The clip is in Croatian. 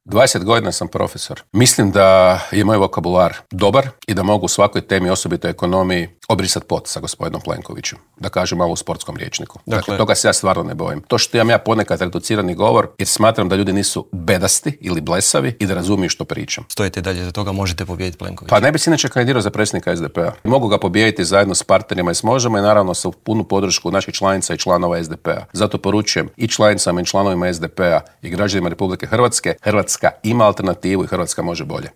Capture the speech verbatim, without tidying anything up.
dvadeset godina sam profesor. Mislim da je moj vokabular dobar i da mogu u svakoj temi, osobito ekonomiji, obrisati pot sa gospodinom Plenkovićem. Da kažem malo u sportskom rječniku. Dakle, dakle, toga se ja stvarno ne bojim. To što imam ja ponekad reducirani govor, jer smatram da ljudi nisu bedasti ili blesavi i da razumiju što pričam. Stojite dalje za toga, možete pobijediti Plenkovića? Pa ne bi se inače kandidirao za predsjednika es de pe a. Mogu ga pobijediti zajedno s partnerima iz Možemo i naravno sa punu podršku naših članica i članova es de pe a. Zato poručujem i članicama i članovima es de pe a i građanima Republike Hrvatske, Hrvatska ima alternativu i Hrvatska može bolje.